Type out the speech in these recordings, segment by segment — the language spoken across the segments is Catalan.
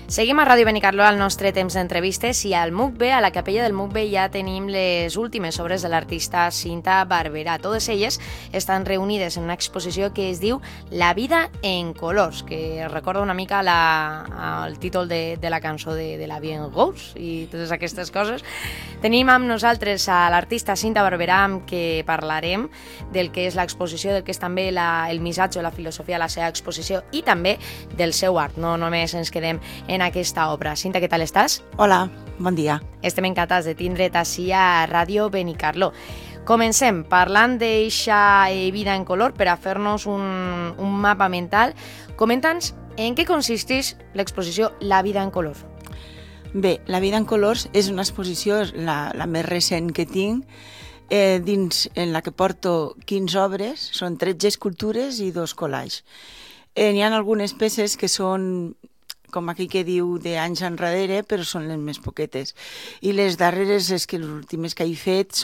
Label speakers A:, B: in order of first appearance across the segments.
A: Seguim a Ràdio Benicarló al nostre temps d'entrevistes i al MUCB, a la capella del MUCB, ja tenim les últimes obres de l'artista Cinta Barberà. Totes elles estan reunides en una exposició que es diu La vida en colors, que recorda una mica el títol de la cançó de La vie en rose i totes aquestes coses. Tenim amb nosaltres a l'artista Cinta Barberà, amb què parlarem del que és l'exposició, del que és també el missatge o la filosofia de la seva exposició i també del seu art. No només ens quedem en aquesta obra. Cinta, què tal estàs?
B: Hola, bon dia.
A: Estem encantats de tindre't ací a Ràdio Benicarló. Comencem parlant d'eixa vida en color per a fer-nos un mapa mental. Comenta'ns en què consisteix l'exposició La vida en color.
B: Bé, La vida en colors és una exposició, la més recent que tinc, en la que porto 15 obres, són 13 escultures i 2 collages. N'hi ha algunes peces que són, com aquí que diu, d'anys enrere, però són les més poquetes. I les darreres, les últimes que he fet,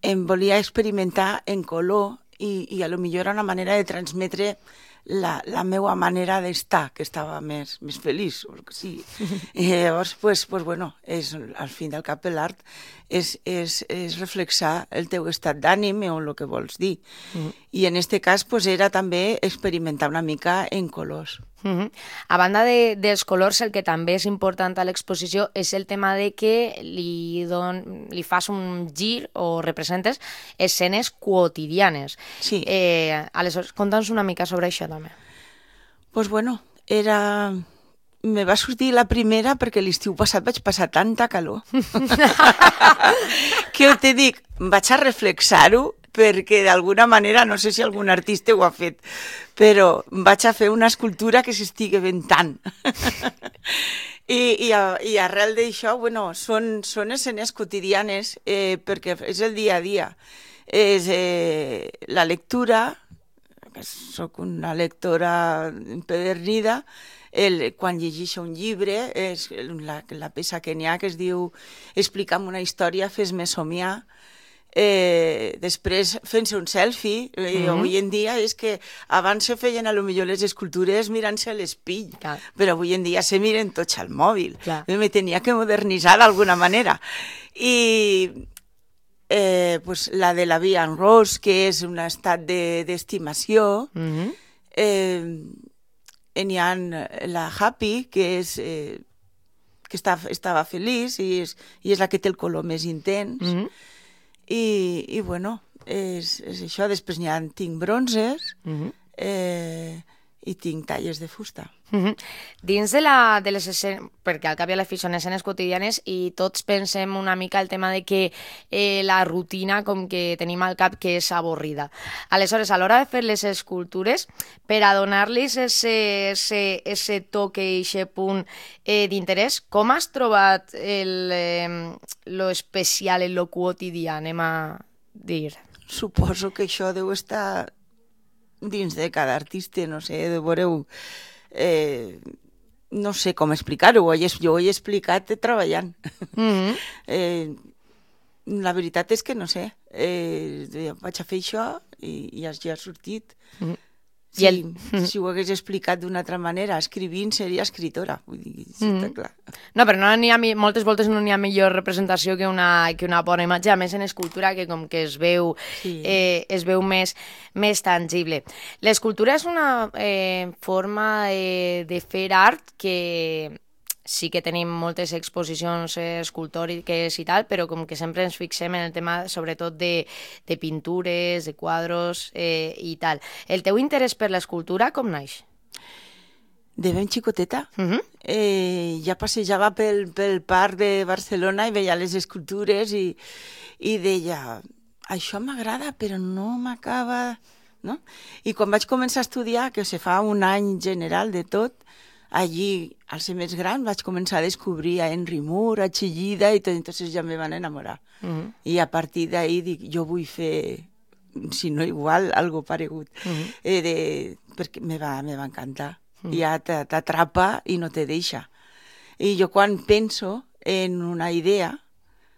B: em volia experimentar en color i a lo millor era una manera de transmetre la meva manera d'estar, que estava més feliç, o el que sigui. I llavors, bueno, al fin del cap l'art és reflexar el teu estat d'ànim o el que vols dir. I en aquest cas era també experimentar una mica en colors.
A: A banda dels colors, el que també és important a l'exposició és el tema de que li fas un gir o representes escenes quotidianes.
B: Sí.
A: Aleshores, conta'ns una mica sobre això també.
B: Doncs bueno, me va sortir la primera perquè l'estiu passat vaig passar tanta calor que te dic, vaig a reflexar-ho perquè d'alguna manera, no sé si algun artista ho ha fet, però vaig a fer una escultura que s'estigui ventant. I arrel d'això, bueno, són escenes quotidianes perquè és el dia a dia. És la lectura, que soc una lectora empedernida, quan llegeixo un llibre, és la peça que n'hi ha que es diu Explica'm una història, fes-me somiar. Després fent-se un selfie, avui en dia és que abans se feien a lo millor les escultures mirant-se a l'espill, però avui en dia se miren tots al mòbil. Me tenia que modernitzar d'alguna manera. I la de La vie en rose, que és un estat d'estimació, n'hi ha la happy, que estava feliç i és la que té el color més intens. I bueno, és això. Després tinc bronzes i tinc talles de fusta.
A: Dins de les escenes, perquè al cap i a la fi són escenes quotidianes i tots pensem una mica el tema de que la rutina com que tenim al cap que és avorrida. Aleshores, a l'hora de fer les escultures, per a donar-los ese toque i ese punt d'interès, com has trobat lo especial en lo quotidià, anem a dir?
B: Suposo que això deu estar dins de cada artista, no sé, veureu, no sé com explicar-ho, jo ho he explicat treballant. La veritat és que no sé, vaig a fer això i ja ha sortit. Si ho hagués explicat d'una altra manera, escrivint seria escritora, vull dir, està clar.
A: No, però moltes voltes no n'hi ha millor representació que una bona imatge, a més en escultura que com que es veu més tangible. L'escultura és una forma de fer art que sí que tenim moltes exposicions escultòriques i tal, però com que sempre ens fixem en el tema sobretot de pintures, de quadros i tal. El teu interès per l'escultura com naix?
B: De ben xicoteta. Ja passejava pel parc de Barcelona i veia les escultures i deia, això m'agrada però no m'acaba, no? I quan vaig començar a estudiar, que se fa un any general de tot, allí, al ser més gran, vaig començar a descobrir a Henry Moore, a Chillida, i entonces ja me van enamorar. I a partir d'ahí dic, jo vull fer, si no igual, algo paregut. Perquè me va encantar. Ja t'atrapa i no te deixa. I jo quan penso en una idea,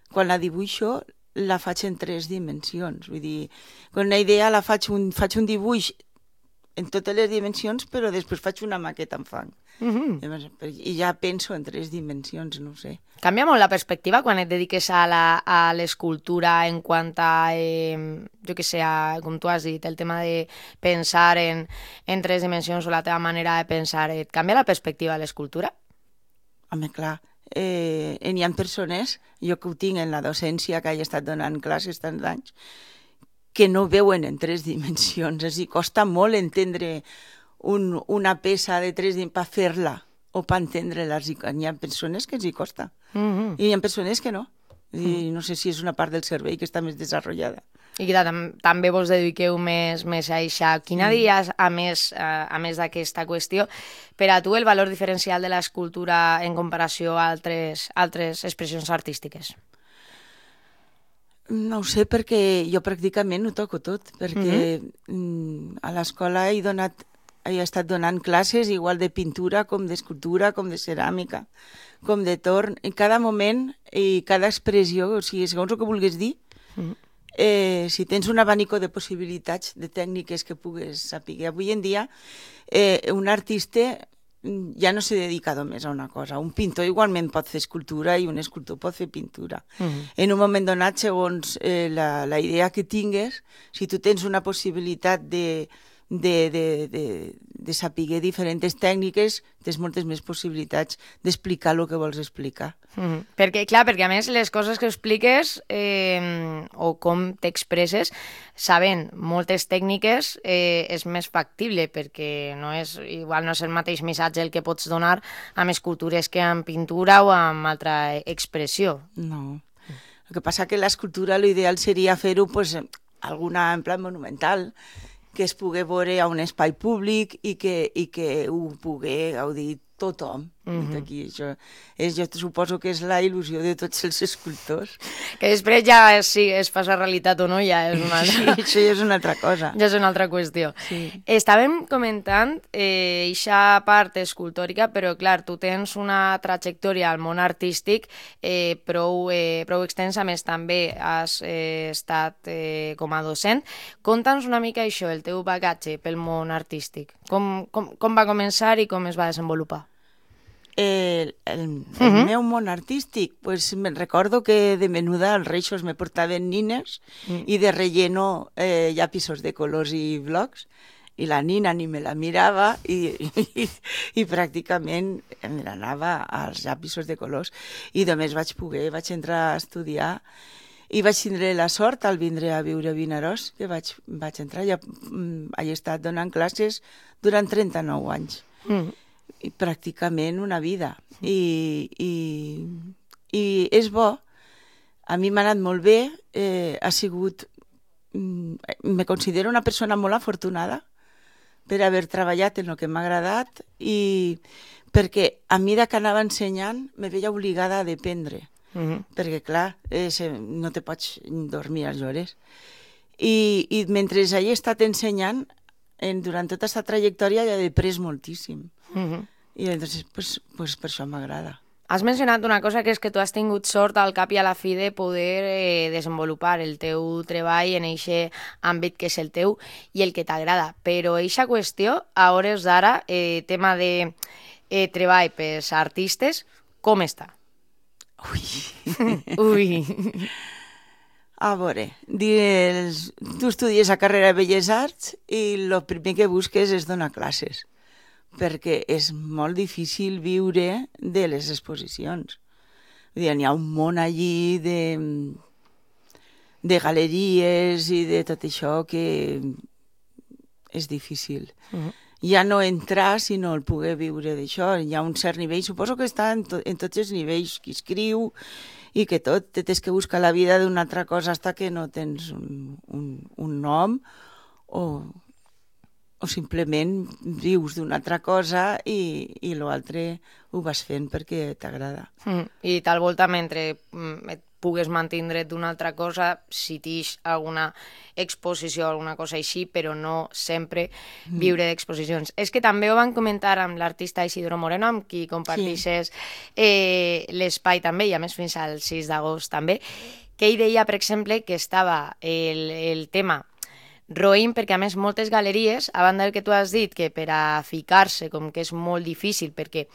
B: quan la dibuixo, la faig en 3 dimensions. Vull dir, quan una idea la faig un dibuix en totes les dimensions, però després faig una maqueta en fang. I ja penso en 3 dimensions, no ho sé.
A: Canvia molt la perspectiva quan et dediques a l'escultura en quant a, jo què sé, com tu has dit, el tema de pensar en 3 dimensions o la teva manera de pensar, et canvia la perspectiva de l'escultura?
B: Home, clar, hi ha persones, jo que ho tinc en la docència, que he estat donant classes tants anys, que no veuen en 3 dimensions. És a dir, costa molt entendre una peça de 3 dimensions per fer-la o per entendre-la. Hi ha persones que els hi costa. I hi ha persones que no. I no sé si és una part del cervell que està més desenvolupada.
A: I que també vos dediqueu més a això. Quina diries, a més d'aquesta qüestió, per a tu el valor diferencial de l'escultura en comparació a altres expressions artístiques?
B: No ho sé, perquè jo pràcticament ho toco tot, perquè a l'escola he estat donant classes igual de pintura, com d'escultura, com de ceràmica, com de torn, en cada moment i cada expressió, o sigui, segons el que vulguis dir, si tens un abanico de possibilitats, de tècniques que pugues saber. Avui en dia, un artista ja no se dedica només a una cosa. Un pintor igualment pot fer escultura i un escultor pot fer pintura. En un moment donat, segons la idea que tingues, si tu tens una possibilitat de saber diferents tècniques, tens moltes més possibilitats d'explicar el que vols explicar.
A: Perquè a més les coses que expliques o com t'expresses, sabent moltes tècniques, és més factible, perquè igual no és el mateix missatge el que pots donar amb escultures que amb pintura o amb altra expressió.
B: No. El que passa que l'escultura l'ideal seria fer-ho alguna en plan monumental, que es pugui veure a un espai públic i que ho pugui gaudir tothom. Aquí, jo suposo que és la il·lusió de tots els escultors.
A: Que després ja si es fa realitat o no ja és una altra...
B: Sí, això ja és una altra cosa.
A: Ja és una altra qüestió.
B: Sí.
A: Estàvem comentant eixa part escultòrica, però clar, tu tens una trajectòria al món artístic prou extensa, més també has estat com a docent. Conta'ns una mica això, el teu bagatge pel món artístic. Com va començar i com es va desenvolupar?
B: El meu món artístic, me'n recordo que de menuda als Reixos me portaven nines i de relleno llapisos de colors i blocs, i la nina ni me la mirava i pràcticament me n'anava als llapisos de colors. I només vaig entrar a estudiar i vaig tindre la sort al vindre a viure a Vinaròs, que vaig entrar, ja he estat donant classes durant 39 anys. I pràcticament una vida. I és bo. A mi m'ha anat molt bé. Me considero una persona molt afortunada per haver treballat en el que m'ha agradat i perquè a mesura que anava ensenyant me veia obligada a dependre. Perquè, clar, no te pots dormir a les hores. I mentre he estat ensenyant, durant tota aquesta trajectòria he après moltíssim. I llavors, per això m'agrada.
A: Has mencionat una cosa, que és que tu has tingut sort al cap i a la fi de poder desenvolupar el teu treball en aquest àmbit que és el teu i el que t'agrada. Però aquesta qüestió, a hores d'ara, tema de treball pels artistes, com està? Ui.
B: A veure, tu estudies la carrera de Belles Arts i el primer que busques és donar classes, perquè és molt difícil viure de les exposicions. N'hi ha un món allí de galeries i de tot això que és difícil. Ja no entrar, sinó el poder viure d'això. Hi ha un cert nivell, suposo que està en tots els nivells, qui escriu i que tot, tens que buscar la vida d'una altra cosa fins que no tens un nom o simplement vius d'una altra cosa i l'altre ho vas fent perquè t'agrada.
A: I tal volta, mentre et pugues mantindre d'una altra cosa, si tens alguna exposició o alguna cosa així, però no sempre viure d'exposicions. És que també ho van comentar amb l'artista Isidro Moreno, amb qui compartixes l'espai també, i a més fins al 6 d'agost també, que ell deia, per exemple, que estava el tema roïn, perquè a més moltes galeries, a banda del que tu has dit, que per a ficar-se com que és molt difícil, perquè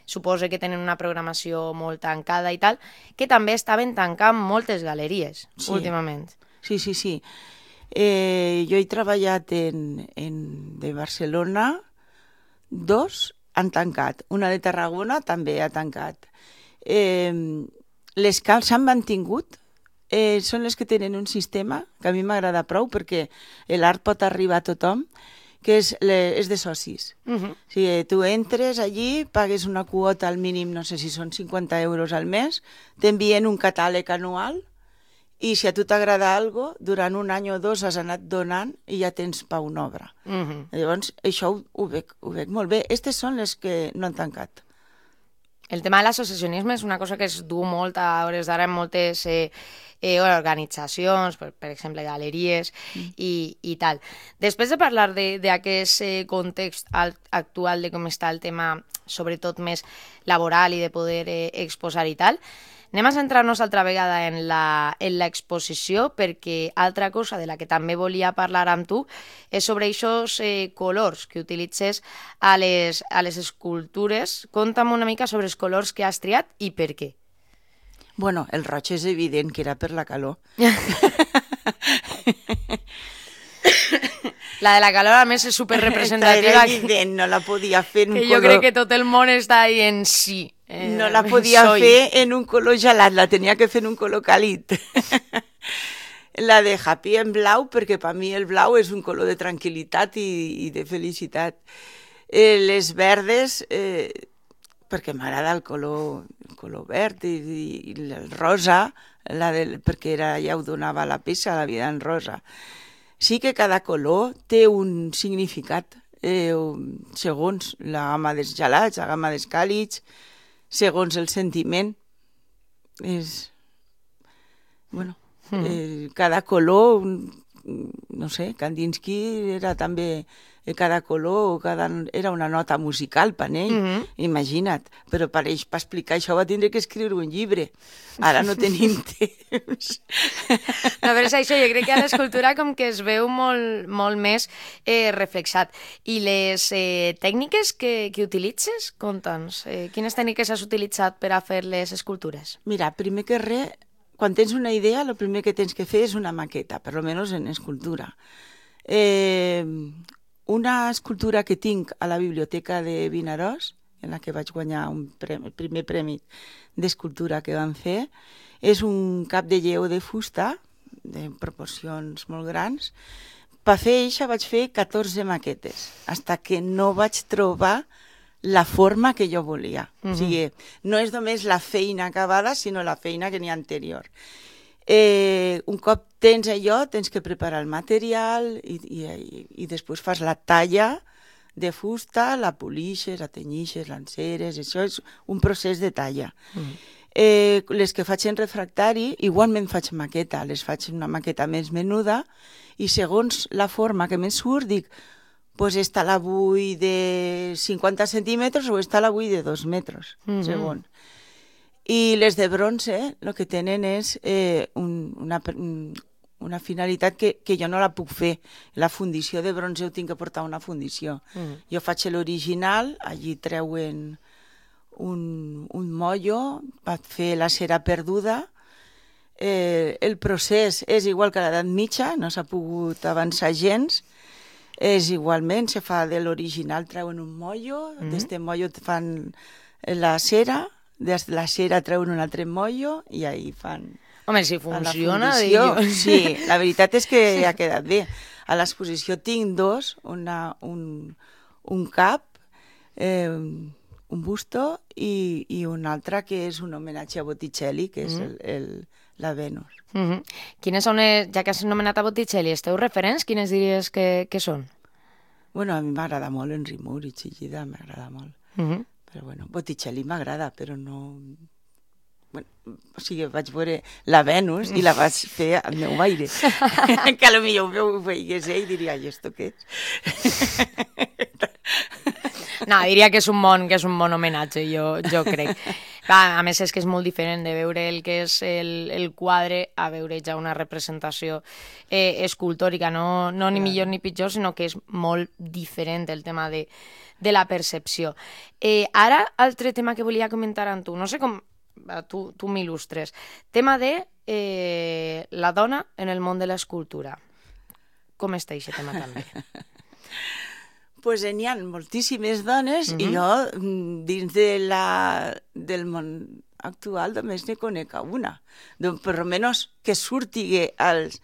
A: suposo que tenen una programació molt tancada i tal, que també estaven tancant moltes galeries últimament.
B: Sí. Jo he treballat de Barcelona, 2 han tancat, una de Tarragona també ha tancat. Les que s'han mantingut són les que tenen un sistema que a mi m'agrada prou perquè l'art pot arribar a tothom, que és de socis. O sigui, tu entres allí, pagues una quota al mínim, no sé si són 50 euros al mes, t'envien un catàleg anual i si a tu t'agrada alguna cosa, durant un any o 2 has anat donant i ja tens pa una obra. Llavors, això ho veig molt bé. Aquestes són les que no han tancat.
A: El tema de l'associacionisme és una cosa que es du molt a hores d'ara en moltes organitzacions, per exemple, galeries i tal. Després de parlar d'aquest context actual de com està el tema, sobretot més laboral i de poder exposar i tal, anem a centrar-nos altra vegada en l'exposició, perquè altra cosa de la que també volia parlar amb tu és sobre aquests colors que utilitzes a les escultures. Conta'm una mica sobre els colors que has triat i per què.
B: Bueno, el roig és evident que era per la calor.
A: La de la calor, a més, és superrepresentativa.
B: Era evident, no la podia fer en un color...
A: Que jo crec que tot el món està dient sí.
B: No la podia fer en un color gelat, la tenia que fer en un color càlid. La de Happy en blau, perquè per mi el blau és un color de tranquil·litat i de felicitat. Les verdes... perquè m'agrada el color verd i el rosa, perquè ja ho donava la peça, la vida en rosa. Sí que cada color té un significat, segons la gamma dels gelats, la gamma dels càlids, segons el sentiment. Cada color, no sé, Kandinsky era també... cada color era una nota musical per ell, imagina't. Però per explicar això va tindre que escriure un llibre. Ara no tenim temps.
A: No, però és això, jo crec que a l'escultura com que es veu molt més reflexat. I les tècniques que utilitzes, conta'ns. Quines tècniques has utilitzat per a fer les escultures?
B: Mira, primer que res, quan tens una idea, el primer que tens que fer és una maqueta, per almenys en escultura. Una escultura que tinc a la biblioteca de Vinaròs, en la que vaig guanyar el primer premi d'escultura que van fer, és un cap de lleó de fusta, de proporcions molt grans. Per fer això vaig fer 14 maquetes, fins que no vaig trobar la forma que jo volia. O sigui, no és només la feina acabada, sinó la feina que n'hi ha anterior. Un cop tens allò, tens que preparar el material i després fas la talla de fusta, la polixes, la tenyixes, l'enceres, això és un procés de talla. Les que faig en refractari, igualment faig maqueta, les faig una maqueta més menuda i segons la forma que me surt dic, doncs esta la vull de 50 centímetres o esta la vull de 2 metres, segons. I les de bronze el que tenen és una finalitat que jo no la puc fer. La fundició de bronze ho tinc que portar una fundició. Jo faig l'original, allí treuen un mollo per fer la cera perduda. El procés és igual que a l'edat mitja, no s'ha pogut avançar gens. És igualment, se fa de l'original, treuen un mollo, d'este mollo fan la cera, des de la cera treuen un altre mollo i ahí fan...
A: Home, si funciona...
B: Sí, la veritat és que ha quedat bé. A l'exposició tinc 2, un cap, un busto i un altre que és un homenatge a Botticelli, que és la Venus.
A: Quines són, ja que has anomenat a Botticelli, els teus referents, quines diries que són?
B: Bueno, a mi m'agrada molt Henry Moore i Chillida, m'agrada molt. Però bueno, Botticelli m'agrada, però no... Bueno, o sigui, vaig veure la Venus i la vaig fer al meu aire. Que potser ho veiés ell i diria, i esto què és?
A: No, diria que és un bon homenatge, jo crec. Clar, a més és que és molt diferent de veure el que és el quadre a veure ja una representació escultòrica, no ni millor ni pitjor, sinó que és molt diferent el tema de la percepció. Ara, altre tema que volia comentar amb tu, no sé com tu m'il·lustres, tema de la dona en el món de l'escultura. Com està aquest tema també?
B: Pues n'hi ha moltíssimes dones i jo dins del món actual només ne conec una. Per almenys que surti als...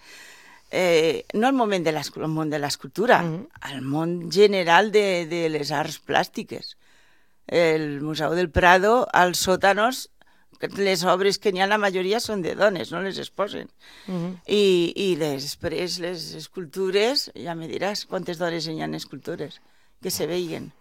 B: no al món de l'escultura, al món general de les arts plàstiques. El Museu del Prado, als sòtanos, les obres que n'hi ha, la majoria són de dones, no les exposen. I després les escultures, ja me diràs quantes dones n'hi ha escultures que se veien.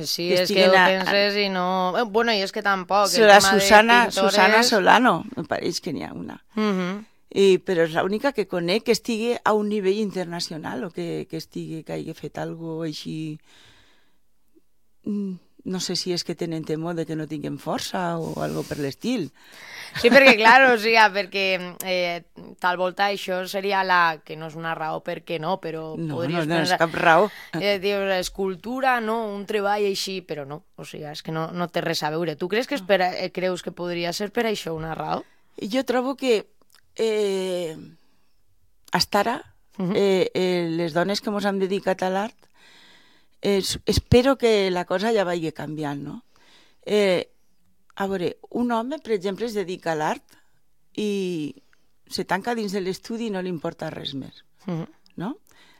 A: Sí, és que ho penses i no... Bueno, i és que tampoc.
B: La Susana Solano, me pareix que n'hi ha una. Però és l'única que conec que estigui a un nivell internacional o que hagi fet alguna cosa així... No sé si és que tenen temor de que no tinguem força o algo per l'estil.
A: Sí, perquè, clar, o sigui, perquè tal volta això seria que no és una raó perquè no, però podries...
B: No és cap raó.
A: Dius, escultura, no, un treball així, però no, o sigui, és que no té res a veure. Tu creus que podria ser per això una raó?
B: Jo trobo que hasta ara les dones que ens hem dedicat a l'art espero que la cosa ja vagi canviant, no? A veure, un home, per exemple, es dedica a l'art i se tanca dins de l'estudi i no li importa res més, no?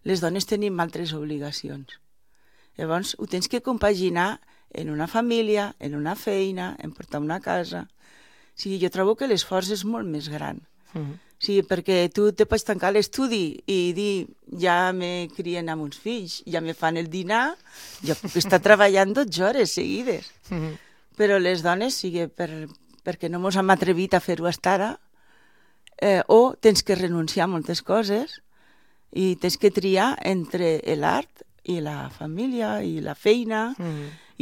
B: Les dones tenim altres obligacions. Llavors, ho tens que compaginar en una família, en una feina, en portar una casa. O sigui, jo trobo que l'esforç és molt més gran. Sí, perquè tu te pots tancar a l'estudi i dir, ja me crien amb uns fills, ja me fan el dinar, jo puc estar treballant 12 hores seguides. Però les dones, sigui perquè no ens hem atrevit a fer-ho fins ara, o tens que renunciar a moltes coses i tens que triar entre l'art i la família i la feina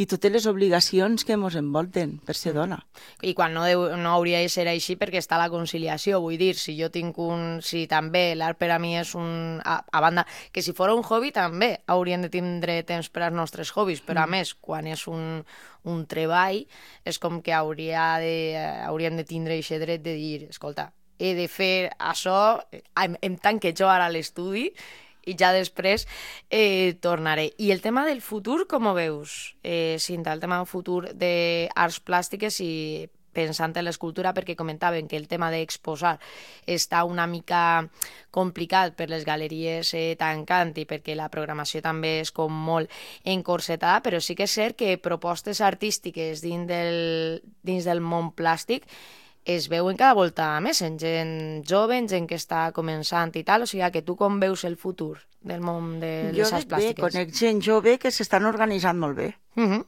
B: i totes les obligacions que ens envolten per ser dona.
A: I quan no hauria de ser així perquè està la conciliació, vull dir, si jo tinc si també l'art per a mi és a banda, que si fos un hobby també hauríem de tindre temps per als nostres hobbies, però a més, quan és un treball, és com que hauríem de tindre aquest dret de dir, escolta, he de fer això, em tanque jo ara a l'estudi i ja després tornaré. I el tema del futur, com ho veus, Cinta? El tema del futur d'arts plàstiques i pensant en l'escultura, perquè comentaven que el tema d'exposar està una mica complicat per les galeries tancant i perquè la programació també és com molt encorsetada, però sí que és cert que propostes artístiques dins del món plàstic es veuen cada volta més en gent jove, en gent que està començant i tal, o sigui que tu com veus el futur del món de les arts plàstiques?
B: Jo conec gent jove que s'estan organitzant molt bé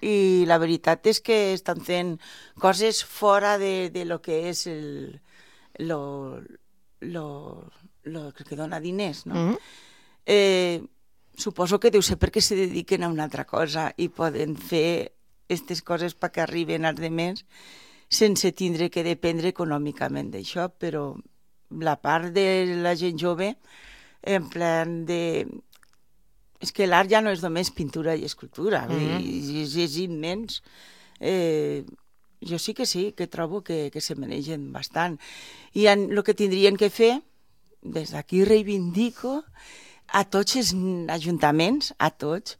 B: i la veritat és que estan fent coses fora de lo que és lo que dona diners, no? Suposo que deu ser perquè se dediquen a una altra cosa i poden fer aquestes coses perquè arriben als demés sense tindre que dependre econòmicament d'això, però la part de la gent jove, en plan de... És que l'art ja no és només pintura i escultura, és immens. Jo sí, que trobo que se manegen bastant. I el que tindrien que fer, des d'aquí reivindico a tots els ajuntaments, a tots,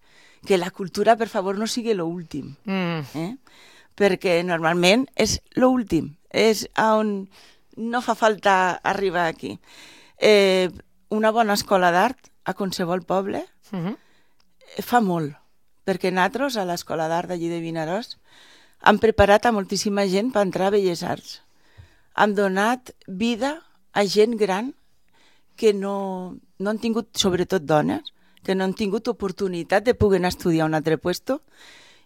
B: que la cultura, per favor, no sigui l'últim. Perquè normalment és l'últim, és on no fa falta arribar aquí. Una bona escola d'art a qualsevol poble fa molt, perquè nosaltres a l'escola d'art d'allí de Vinaròs hem preparat a moltíssima gent per entrar a Belles Arts. Hem donat vida a gent gran que no han tingut, sobretot dones, que no han tingut oportunitat de poder anar a estudiar a un altre puesto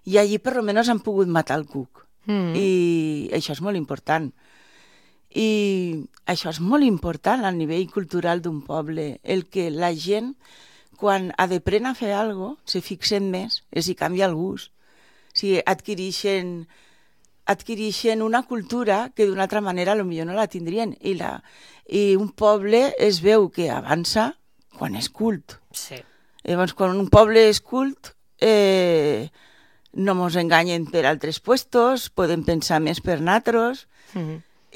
B: i allí per almenys han pogut matar el cuc. I això és molt important. I això és molt important al nivell cultural d'un poble, el que la gent, quan ha d'aprendre a fer alguna cosa, se fixen més, els hi canvia el gust. O sigui, adquireixen adquireixen una cultura que d'una altra manera potser no la tindrien. I un poble es veu que avança quan és cult.
A: Sí.
B: Llavors, quan un poble és cult, no mos enganyen per altres puestos, podem pensar més per natros,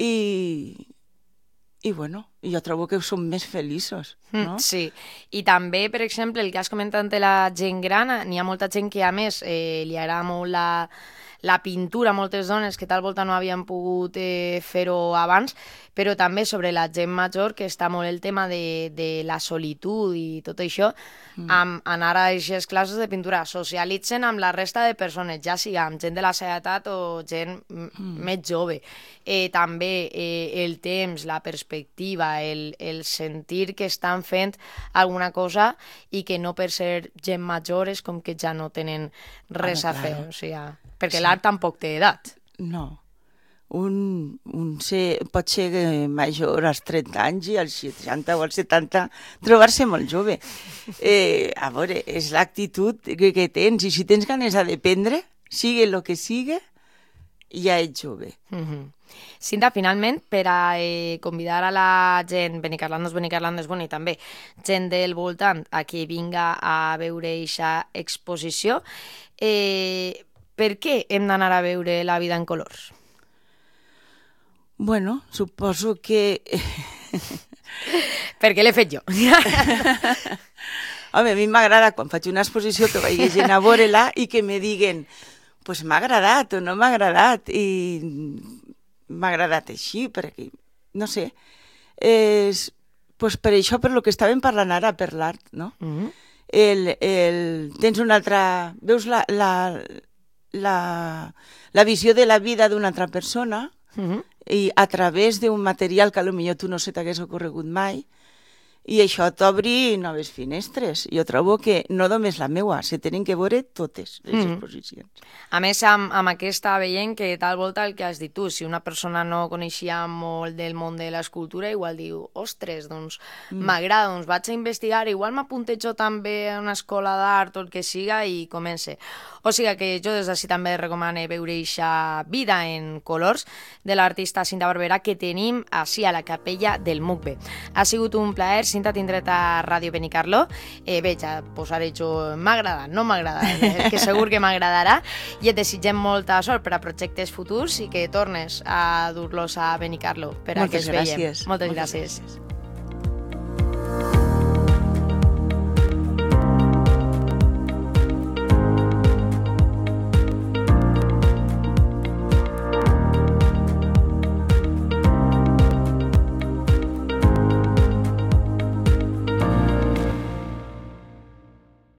B: i bueno, jo trobo que som més feliços, no?
A: Sí, i també, per exemple, el que has comentat de la gent gran, n'hi ha molta gent que, a més, li agrada molt la pintura, moltes dones que tal volta no havien pogut fer-ho abans, però també sobre la gent major, que està molt el tema de la solitud i tot això, amb anar a aquestes classes de pintura, socialitzen amb la resta de persones, ja sigui amb gent de la seva edat o gent més jove. També el temps, la perspectiva, el sentir que estan fent alguna cosa i que no per ser gent major és com que ja no tenen res a fer, o sigui, perquè l'art tampoc té edat.
B: No. Un pot ser major als 30 anys i als 60 o als 70 trobar-se molt jove. A veure, és l'actitud que tens, i si tens ganes d'aprendre, sigue el que sigue, ja ets jove.
A: Cinta, finalment, per a convidar a la gent, Benicarlandos, bueno, i també gent del voltant a que vinga a veure aquesta exposició, per què hem d'anar a veure La vida en colors?
B: Bueno, suposo que...
A: Perquè l'he fet jo.
B: Home, a mi m'agrada quan faig una exposició que vagi gent a veure-la i que me diguen pues m'ha agradat o no m'ha agradat, i m'ha agradat així, perquè, no sé, pues per això, per lo que estàvem parlant ara, per l'art, no? Tens una altra... Veus la visió de la vida d'una altra persona, i a través d'un material que potser tu no se t'hagués ocorregut mai, i això t'obri noves finestres. Jo trobo que no només la meua, se tenen que veure totes les exposicions.
A: A més, amb aquesta veient que tal volta el que has dit tu, si una persona no coneixia molt del món de l'escultura, igual diu, ostres, doncs m'agrada, doncs vaig a investigar, igual m'apuntejo també a una escola d'art o el que siga i comence. O sigui que jo des d'ací també recomano veure aquesta Vida en colors de l'artista Cinta Barberà que tenim així a la capella del MUCBE. Ha sigut un plaer, Cinta, tindre't a Ràdio Benicarló. Bé, ja posaré jo, m'ha agradat, no m'ha agradat, que segur que m'agradarà, i et desitgem molta sort per a projectes futurs i que tornes a dur-los a Benicarló per a que es veiem.
B: Moltes gràcies.
A: Moltes gràcies.